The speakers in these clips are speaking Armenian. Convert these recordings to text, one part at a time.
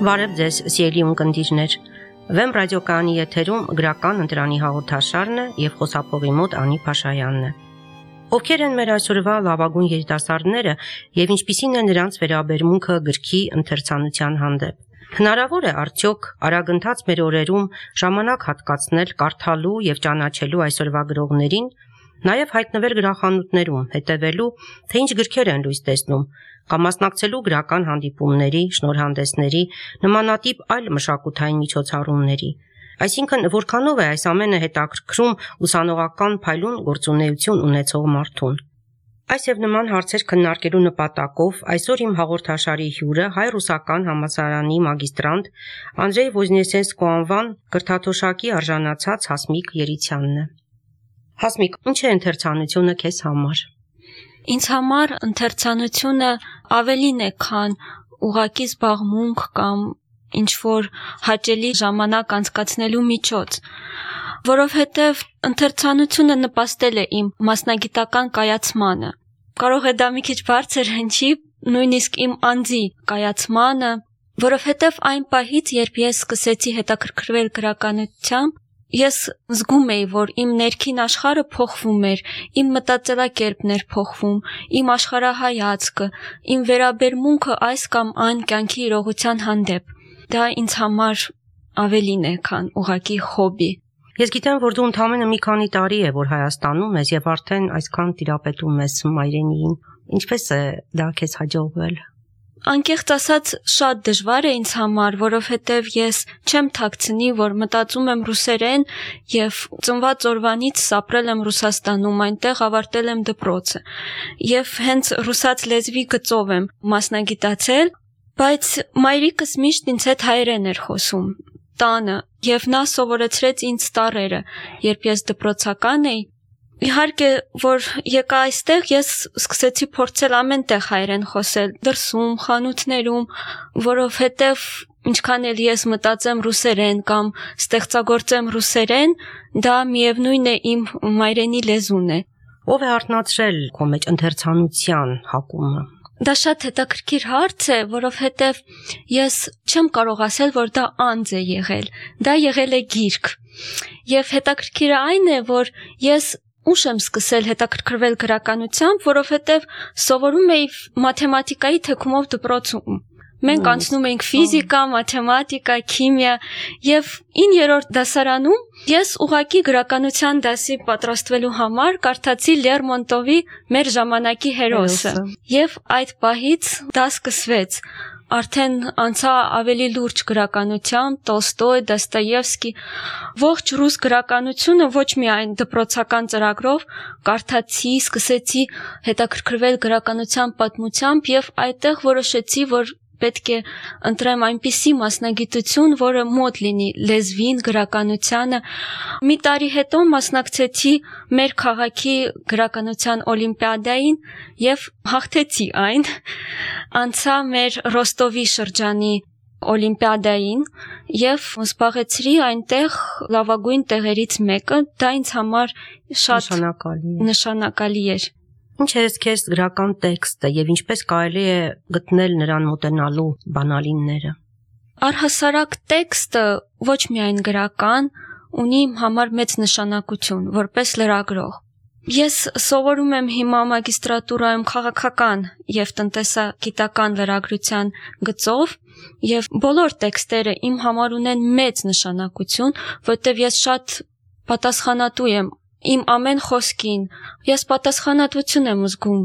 Բարև ձեզ, սիրելի ունկնդիրներ։ Վեմ ռադիոկայանի եթերում գրական ընտրանի հաղորդաշարն է եւ խոսափողի մոտ Անի Փաշայանն է։ Ովքեր են մեր այսօրվա լավագույն երիտասարդները եւ ինչպիսին է նրանց վերաբերմունքը գրքի ընթերցանության հանդեպ։ Հնարավոր է արդյոք արագընթաց մեր օրերում ժամանակ հատկացնել կարդալու եւ ճանաչելու այսօրվա գրողներին, նաեւ հայտնվել գրախանութներում, հետևելու, թե ինչ գրքեր են լույս տեսնում, կամ մասնակցելու գրական հանդիպումների, շնորհանդեսների, նմանատիպ այլ մշակութային միջոցառումների։ Այսինքն, որքանով է այս ամենը հետաքրքրում ուսանողական փայլուն գործունեություն ունեցող մարդուն։ Այս եւ նման հարցեր քննարկելու նպատակով այսօր իմ հաղորդաշարի հյուրը հայ-ռուսական համալսարանի մագիստրանտ Անդրեյ Ոզնեսենսկու անվան կրթաթոշակի արժանացած Հասմիկ Երիցյանն է։ Հասմիկ, ինչ է ընթերցանությունը քեզ համար։ Ինձ համար ընթերցանությունը ավելին է, քան ուղղակի զբաղմունք կամ ինչ-որ հաճելի ժամանակ անցկացնելու միջոց, որովհետև ընթերցանությունը նպաստել է իմ մասնագիտական կայացմանը։ Կարող է դա մի քիչ բարձր հնչի, նույնիսկ իմ անձի կայացմանը, որովհետև այն պահից, երբ ես սկսեցի հետաքրքրվել գրականությամբ, ես զգում էի, որ իմ ներքին աշխարհը փոխվում էր, իմ մտածելակերպն էր փոխվում, իմ աշխարհայացքը, իմ վերաբերմունքը այս կամ այն կյանքի իրողության հանդեպ։ Դա ինձ համար ավելին է, քան ուղղակի հոբի։ Ես գիտեմ, որ դու ընդամենը մի քանի տարի է, որ Հայաստանում ես եւ արդեն այսքան տիրապետում ես մայրենիին։ Ինչպես է դա քեզ հաջողվել։ Անկեղծ ասած, շատ դժվար է ինձ համար, որովհետև ես չեմ թաքցնի, որ մտածում եմ ռուսերեն եւ ծնված օրվանից ապրել եմ Ռուսաստանում, այնտեղ ավարտել եմ դպրոցը։ Եվ հենց ռուսաց լեզվի գծով եմ մասնագիտացել, բայց մայրիկս միշտ ինձ հետ հայերեն էր խոսում տանը, եւ նա սովորեցրեց ինձ տառերը, երբ ես դպրոցական էի։ Իհարկե, որ եկա այստեղ, ես սկսեցի փորձել ամենտեղ հայերեն խոսել, դրսում, խանութներում, որովհետև ինչքան էլ ես մտածեմ ռուսերեն կամ ստեղծագործեմ ռուսերեն, դա միևնույն է իմ մայրենի լեզուն է։ Ո՞վ է արտնացրել քո մեջ ընթերցանության հակումը։ Դա շատ հետաքրքիր հարց է, որովհետև ես չեմ կարող ասել, որ դա անձ է եղել, դա եղել է գիրք։ Եվ հետաքրքիրը այն է, որ ես ուշ եմ սկսել հետաքրքրվել գրականությամբ, որովհետև սովորում էի մաթեմատիկայի թեքումով դպրոցում։ Մենք անցնում էինք ֆիզիկա, մաթեմատիկա, քիմիա եւ 9-րդ դասարանում ես ուղղակի գրականության դասի պատրաստվելու համար կարդացի Լերմոնտովի Մեր ժամանակի հերոսը։ Եվ այդ պահից դա սկսվեց։ Արդեն անցա ավելի լուրջ գրականությամբ, Տոլստոյ, Դոստոևսկի, ողջ ռուս գրականությունը ոչ միայն դպրոցական ծրագրով կարդացի, սկսեցի հետաքրքրվել գրականության պատմությամբ եւ այդտեղ որոշեցի, որ պետք է ընտրեմ այնպիսի մասնագիտություն, որը մոտ լինի լեզվին, գրականությանը։ Մի տարի հետո մասնակցեցի մեր քաղաքի գրականության օլիմպիադային եւ հաղթեցի այն։ Անցա մեր Ռոստովի շրջանի օլիմպիադային եւ զբաղեցրի այնտեղ լավագույն տեղերից մեկը, դա ինձ համար շատ նշանակալի էր։ Ինչ է քեզ գրական տեքստը եւ ինչպես կարելի է գտնել նրան մոտենալու բանալինները։ Առհասարակ տեքստը ոչ միայն գրական, ունի իմ համար մեծ նշանակություն որպես լրագրող։ Ես սովորում եմ հիմա մագիստրատուրայում քաղաքական եւ տնտեսագիտական լրագրության գծով եւ բոլոր տեքստերը իմ համար ունեն մեծ նշանակություն, որտեղ ես շատ պատասխանատու եմ իմ ամեն խոսքին, ես պատասխանատվություն եմ զգում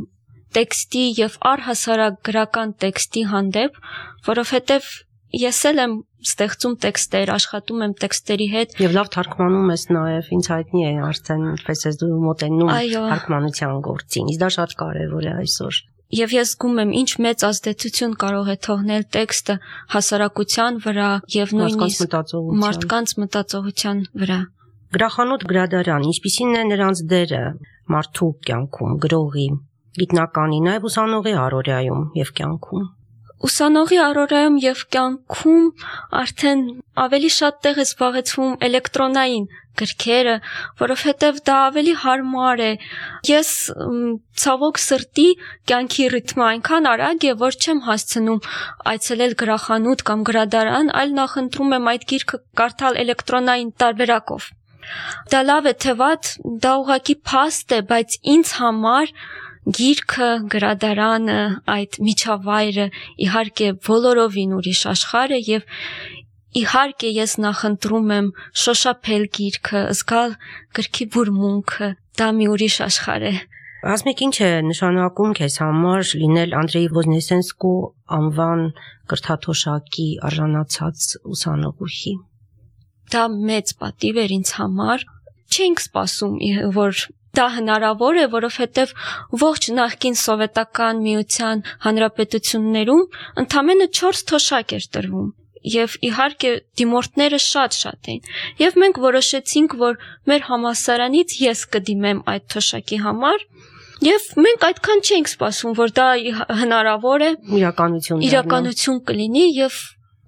տեքստի եւ առհասարակ գրական տեքստի հանդեպ, որովհետեւ ես էլ եմ ստեղծում տեքստեր, աշխատում եմ տեքստերի հետ եւ լավ թարգմանում ես նաեւ, ինձ հայտնի է արդեն ինչպես ես դու մոտենում թարգմանության գործին, իսկ դա շատ կարեւոր է այսօր։ Եվ ես զգում եմ ինչ մեծ ազդեցություն կարող է թողնել տեքստը հասարակության վրա եւ նույնիսկ մարդկանց մտածողության վրա։ Գրախանութ գրադարան, ինչպիսին է նրանց դերը մարդու կյանքում, գրողի, գիտնականի, նաև ուսանողի առօրյայում եւ կյանքում։ Ուսանողի առօրյայում եւ կյանքում արդեն ավելի շատ տեղ է զբաղեցվում էլեկտրոնային գրքերը, որովհետեւ դա ավելի հարմար է։ Ես ցավոք սրտի կյանքի ռիթմը այնքան արագ է, որ չեմ հասցնում այցելել գրախանութ կամ գրադարան, այլ նախընտրում եմ այդ գիրքը կարդալ էլեկտրոնային տարբերակով։ Դա լավ է թե վատ, դա ուղղակի փաստ է, բայց ինձ համար գիրքը, գրադարանը, այդ միջավայրը իհարկե բոլորովին ուրիշ աշխարհ է եւ իհարկե ես նախընտրում եմ շոշափել գիրքը, զգալ գրքի բուրմունքը, դա մի ուրիշ աշխարհ է։ Ասմիկ, ինչ է նշանակում քեզ համար լինել Անդրեյ Ոզնեսենսկու անվան կրթաթոշակի արժանացած ուսանողուհի։ Դա մեծ պատիվ էր ինձ համար։ Չենք սպասում, որ դա հնարավոր է, որովհետև ողջ նախկին սովետական միության հանրապետություններում ընդամենը 4 թոշակ էր տրվում։ Եվ իհարկե դիմորդները շատ էին։ Եվ մենք որոշեցինք, որ մեր համալսարանից ես կդիմեմ այդ թոշակի համար, եւ մենք այդքան չենք սպասում, որ դա հնարավոր է, իրականություն կլինի եւ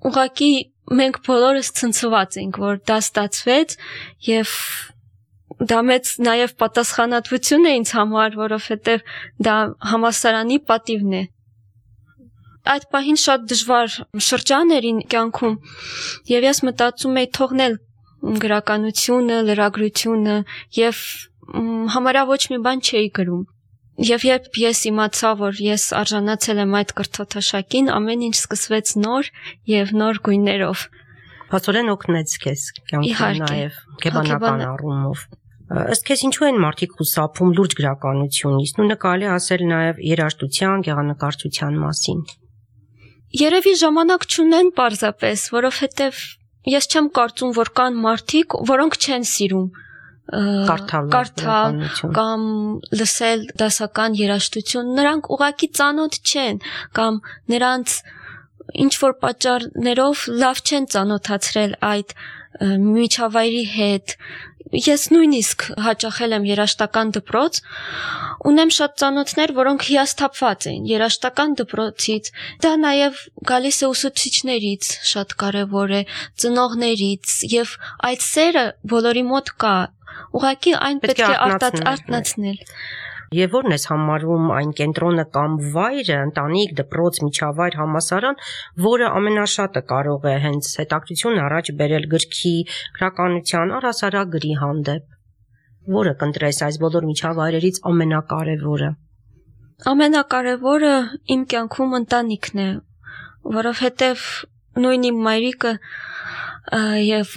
ուղղակի մենք բոլորս ցնցված ենք, որ դա ստացվեց եւ դա մեծ նաեւ պատասխանատվություն է ինձ համար, որովհետեւ դա համալսարանի պատիվն է։ Այդ պահին շատ դժվար շրջան էր իմ կյանքում եւ ես մտածում էի թողնել գրականությունը, լրագրությունը եւ համարյա ոչ մի բան չէի գրում։ Եվ երբ ես իմացա, որ ես արժանացել եմ այդ կրթաթոշակին, ամեն ինչ սկսվեց նոր եւ նոր գույներով։ Բացորեն օգնեց քեզ կյանքում նաեւ գեբանական առումով։ Ըստ քեզ ինչու են մարդիկ խուսափում լուրջ գրականությունից, ու նկարելի ասել նաեւ երաժշտության, գեղանկարչության մասին։ Երևի ժամանակ չունեն պարզապես, որովհետեւ ես չեմ կարծում, որ կան մարդիկ, որոնք չեն սիրում կարդալ կամ լսել դասական երաժշտություն, նրանք ուղղակի ծանոթ չեն կամ նրանց ինչ որ պատճառներով լավ չեն ծանոթացրել այդ միջավայրի հետ։ Ես նույնիսկ հաճախել եմ երաժշտական դպրոց, ունեմ շատ ծանոթներ, որոնք հիասթափված են երաժշտական դպրոցից, դա նաև գալիս է ուսուցիչներից, շատ կարևոր է, ծնողներից, եւ այդ սերը բոլորի մոտ կա, ուղղակի այն պետք է արթնացնել։ Եվ որն ես համարում այն կենտրոնը կամ վայրը, ընտանիք, դպրոց, միջավայր, համալսարան, որը ամենաշատը կարող է հենց հետաքրքրություն առաջ բերել գրքի, գրականության, առհասարակ գրի հանդեպ։ Որը կընտրես այս բոլոր միջավայրերից ամենակարևորը։ Ամենակարևորը իմ կյանքում ընտանիքն է, որովհետև նույն իմ մայրիկը եւ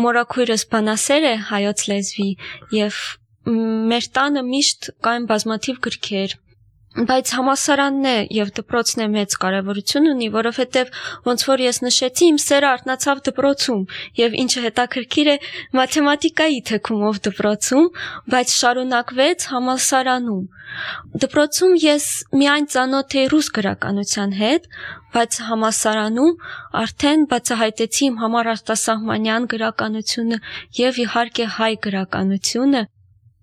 մորաքույրս բանասեր է հայոց լեզվի եւ մեր տանը միշտ կային բազմաթիվ գրքեր, բայց համալսարանն է եւ դպրոցն է մեծ կարեւորություն ունի, որովհետեւ ոնց որ ես նշեցի, իմ սերը արթնացավ դպրոցում եւ ինչը հետաքրքիր է, մաթեմատիկայի թեքումով դպրոցում, բայց շարունակվեց համալսարանում։ Դպրոցում ես միայն ծանոթ էի ռուս գրականության հետ, բայց համալսարանում արդեն բացահայտեցի իմ համար արտասահմանյան գրականությունը եւ իհարկե հայ գրականությունը։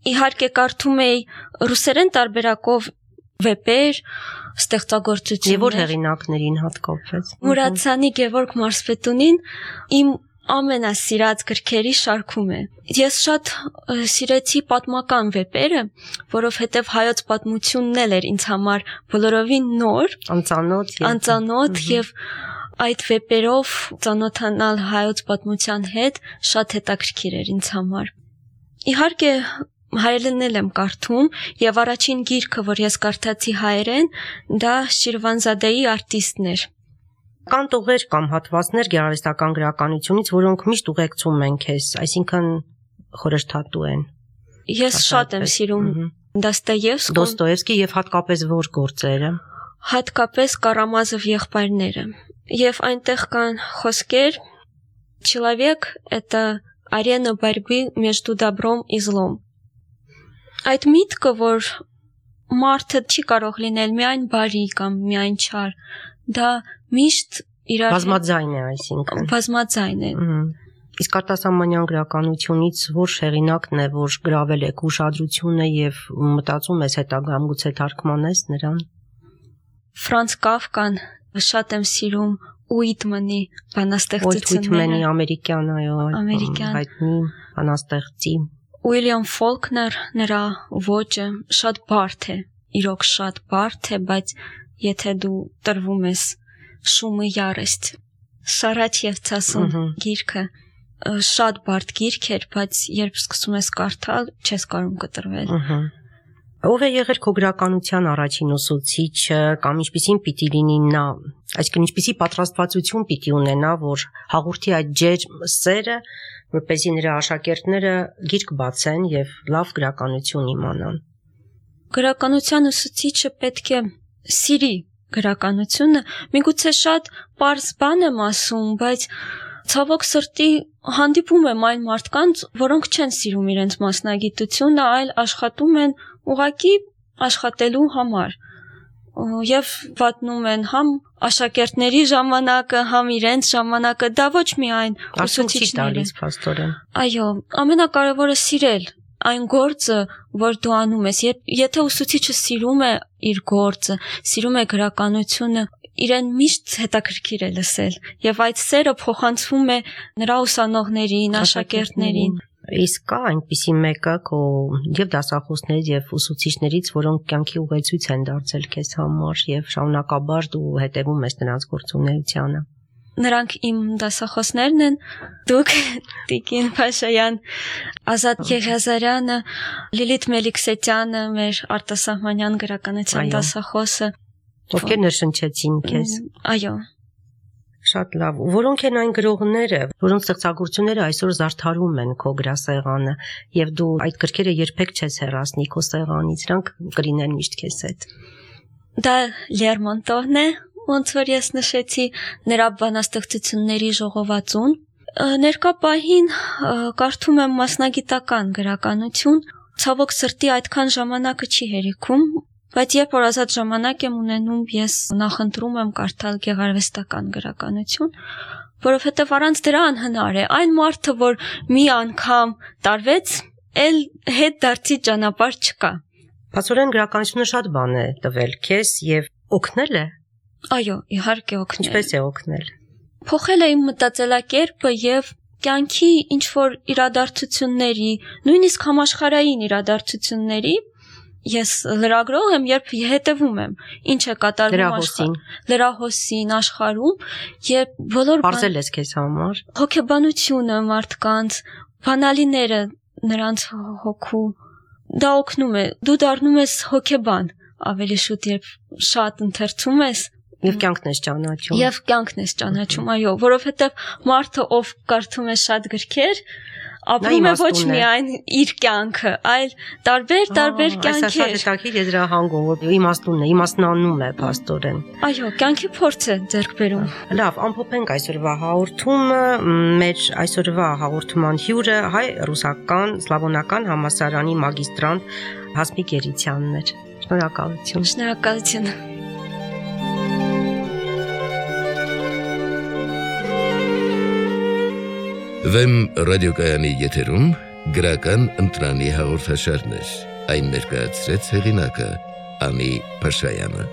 Իհարկե կարդում էի ռուսերեն տարբերակով վեպեր, ստեղծագործություններ։ Եվ որ հեղինակներին հատկապես։ Մուրացյանի Գևորգ Մարսպետունին իմ ամենասիրած գրքերի շարքում է։ Ես շատ սիրեցի պատմական վեպերը, որովհետև հայոց պատմությունն էր ինձ համար բոլորովին նոր, անծանոթ եւ այդ վեպերով ծանոթանալ հայոց պատմության հետ շատ հետաքրքիր էր ինձ համար։ Իհարկե հայերենն եմ կարդում եւ առաջին գիրքը, որ ես կարդացի հայերեն, դա Շիրվանզադեի արտիստն էր։ Կան տողեր կամ հատվածներ գեղարվեստական գրականությունից, որոնք միշտ ուղեկցում են քեզ, այսինքն խորհրդատու են։ Ես շատ եմ սիրում Դոստոևսկի եւ հատկապես որ գործերը։ Հատկապես Կարամազով եղբայրները։ Եվ այնտեղ կան խոսքեր «Человек – это арена борьбы между добром и злом». Այդ միտքը, որ մարդը չի կարող լինել միայն բարի կամ միայն չար, դա միշտ իրար բազմաձայն է, այսինքն։ Բազմաձայն է։ Իսկ արտասահմանյան գրականությունից որ հեղինակն է, որ գրավել է ուշադրությունը եւ մտածում ես հետագայում գուցե թարգմանես նրան։ Ֆրանց Կաֆկան շատ եմ սիրում, Ուիտմանի բանաստեղծությունները։ Ուիտմանի ամերիկյան, այո, հայտնի բանաստեղծի։ Ուիլյամ Ֆոլքներ, նրա ոճը շատ բարդ է, իրոք շատ բարդ է, բայց եթե դու տրվում ես շումը ярость, Սարաչ եւ ցասուն գիրքը շատ բարդ գիրք էր, բայց երբ սկսում ես կարդալ, չես կարող կտրվել։ Ով է եղել քո գրականության առաջին ուսուցիչը կամ ինչպիսին պիտի լինի նա, այսինքն ինչպիսի պատրաստվածություն պիտի ունենա, որ հաղորդի այդ ջերմ սերը, որպեսզի նրա աշակերտները գիրք բացեն եւ լավ գրականություն իմանան։ Գրականության ուսուցիչը պետք է սիրի գրականությունը, միգուցե շատ պարզ բան եմ ասում, բայց ցավոք սրտի հանդիպում եմ այն մարդկանց, որոնք չեն սիրում իրենց մասնագիտությունը, այլ աշխատում են ուղղակի աշխատելու համար եւ վատնում են համ աշակերտների ժամանակը, համ իրենց ժամանակը, դա ոչ միայն ուսուցիչների։ Այո, ամենակարևորը սիրել այն գործը, որ դու անում ես։ Եթե ուսուցիչը սիրում է իր գործը, սիրում է գրականությունը, իրեն միշտ հետաքրքիր է լսել եւ այդ սերը փոխանցվում է նրա ուսանողներին, աշակերտներին։ Իսկ կա այնպիսի մեկը քո եւ դասախոսներից եւ ուսուցիչներից, որոնք կյանքի ուղեցույց են դարձել քեզ համար եւ շարունակաբար դու հետեւում ես նրանց գործունեությանը։ Նրանք իմ դասախոսներն են, դուք, Տիկին Փաշայան, Ազատ Եղիազարյանը, Լիլիթ Մելիքսետյանը, մեր արտասահմանյան գրականության դասախոսը, ովքեր ներշնչեցին քեզ։ Այո։ Շատ լավ։ Որոնք են այն գրողները, որոնց ստեղծագործությունները այսօր զարդարում են քո գրասեղանը, եւ դու այդ գրքերը երբեք չես հեռացնի քո սեղանից, նրանք կլինեն միշտ քեզ հետ։ Դա Լերմոնտովն է, ոնց որ ես նշեցի, նրա բանաստեղծությունների ժողովածուն։ Ներկա պահին կարդում եմ մասնագիտական գրականություն, ցավոք սրտի այդքան ժամանակը չի հերիքում, բայց երբ որ ազատ ժամանակ եմ ունենում, ես նախընտրում եմ կարդալ գեղարվեստական գրականություն, որովհետև առանց դրա անհնար է։ Այն մարդը, որ մի անգամ տարվեց, էլ հետ դարձի ճանապարհ չկա։ Փաստորեն գրականությունը շատ բան է տվել քեզ եւ օգնել է։ Այո, իհարկե օգնել։ Ինչպես է օգնել։ Փոխել է իմ մտածելակերպը եւ կյանքի ինչ որ իրադարձությունների, նույնիսկ համաշխարհային իրադարձությունների ես լրագրող եմ, երբ հետևում եմ, ինչ է կատարվում լրահոսին աշխարհում, երբ բոլոր բարձել ես քեզ համար հոգեբանությունը մարդկանց, բանալիները նրանց հոգու, դա օգնում է, դու դառնում ես հոգեբան, ավելի շուտ երբ շատ ընթերցում ես Եվ կյանքն ես ճանաչում։ Եվ կյանքն ես ճանաչում, այո, որովհետև մարդը, ով կարդում է շատ գրքեր, ապրում է ոչ միայն իր կյանքը, այլ տարբեր կյանքեր։ Այս շատ հետաքրքիր եզրահանգում, որ իմաստունն է, իմաստնանում է փաստորեն։ Այո, կյանքի փորձ է ձեռք բերում։ Լավ, ամփոփենք այսօրվա հաղորդումը, մեր այսօրվա հաղորդման հյուրը հայ-ռուսական սլավոնական համալսարանի մագիստրանտ Հասմիկ Երիցյանն էր։ Շնորհակալություն։ Շնորհակալություն։ Վեմ ռադիոկայանի եթերում գրական ընտրանի հաղորդաշարներ, այն ներկայացրեց հեղինակը Անի Փաշայանը։